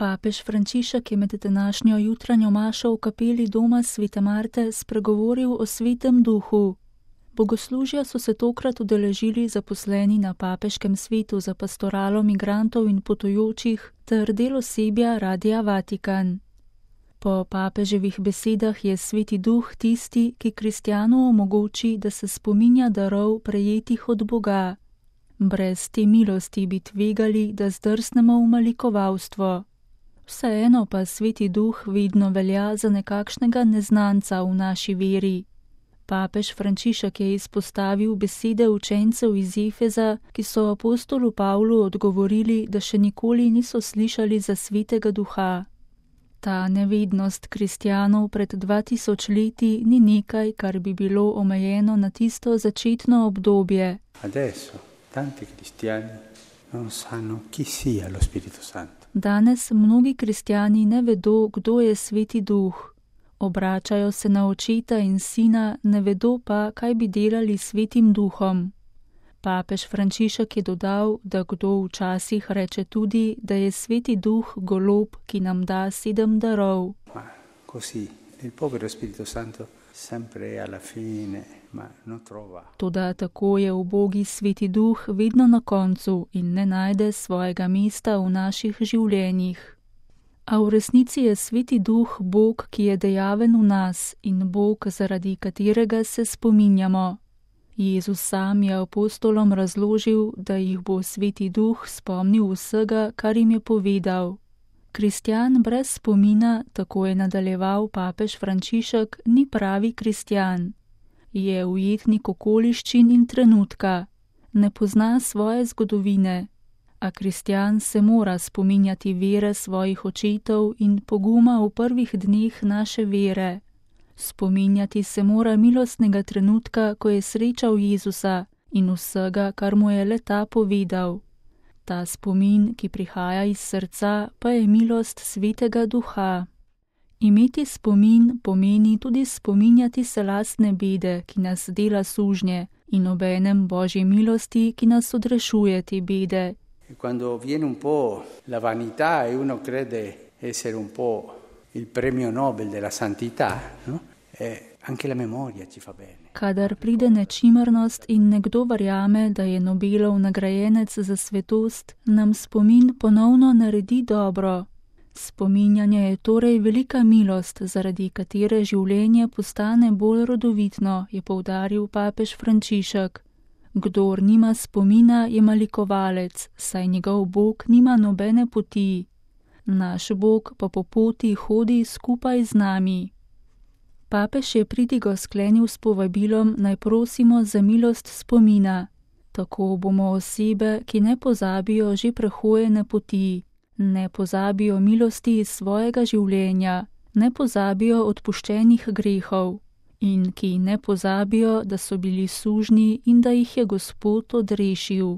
Papež Frančišek je med današnjo jutranjo mašo v kapeli doma Svete Marte spregovoril o Svetem duhu. Bogoslužja so se tokrat udeležili zaposleni na Papeškem svetu za pastoralo migrantov in potujočih ter del osebja Radia Vatikan. Po papeževih besedah je Sveti duh tisti, ki kristjanu omogoči, da se spominja darov prejetih od Boga. Brez te milosti bi tvegali, da zdrsnemo v malikovalstvo. Vseeno pa Sveti duh vedno velja za nekakšnega neznanca v naši veri. Papež Frančišek je izpostavil besede učencev iz Efeza, ki so apostolu Pavlu odgovorili, da še nikoli niso slišali za Svetega duha. Ta nevednost kristjanov pred 2000 leti ni nekaj, kar bi bilo omejeno na tisto začetno obdobje. Adesso tanti cristiani non sanno chi sia lo Spirito Santo. Danes mnogi kristjani ne vedo, kdo je Sveti duh. Obračajo se na očeta in sina, ne vedo pa, kaj bi delali s Svetim duhom. Papež Frančišek je dodal, da kdo včasih reče tudi, da je Sveti duh golob, ki nam da 7 darov. Ma così, il povero Spirito Santo sempre alla fine, ma non trova. Toda tako je ubogi Sveti duh vedno na koncu in ne najde svojega mesta v naših življenjih. A v resnici je Sveti duh Bog, ki je dejaven v nas in Bog, zaradi katerega se spominjamo. Jezus sam je apostolom razložil, da jih bo Sveti duh spomnil vsega, kar jim je povedal. Kristjan brez spomina, tako je nadaljeval papež Frančišek, ni pravi kristjan. Je ujetnik okoliščin in trenutka, ne pozna svoje zgodovine, a kristjan se mora spominjati vere svojih očetov in poguma v prvih dneh naše vere. Spominjati se mora milostnega trenutka, ko je srečal Jezusa in vsega, kar mu je le ta povedal. Ta spomin, ki prihaja iz srca, pa je milost Svetega duha. Imeti spomin pomeni tudi spominjati se lastne bede, ki nas dela sužnje, in obenem Božje milosti, ki nas odrešuje te bede. Quando viene un po' la vanità e uno crede essere un po' il premio Nobel della santità, no? Anche la memoria ci fa bene. Kadar pride nečimrnost in nekdo verjame, da je Nobelov nagrajenec za svetost, nam spomin ponovno naredi dobro. Spominjanje je torej velika milost, zaradi katere življenje postane bolj rodovitno, je poudaril papež Frančišek. Kdor nima spomina, je malikovalec, saj njegov Bog nima nobene poti. Naš Bog pa po poti hodi skupaj z nami. Papež je pridigo sklenil s povabilom, naj prosimo za milost spomina. Tako bomo osebe, ki ne pozabijo že prehojene poti, ne pozabijo milosti iz svojega življenja, ne pozabijo odpuščenih grehov in ki ne pozabijo, da so bili sužnji in da jih je Gospod odrešil.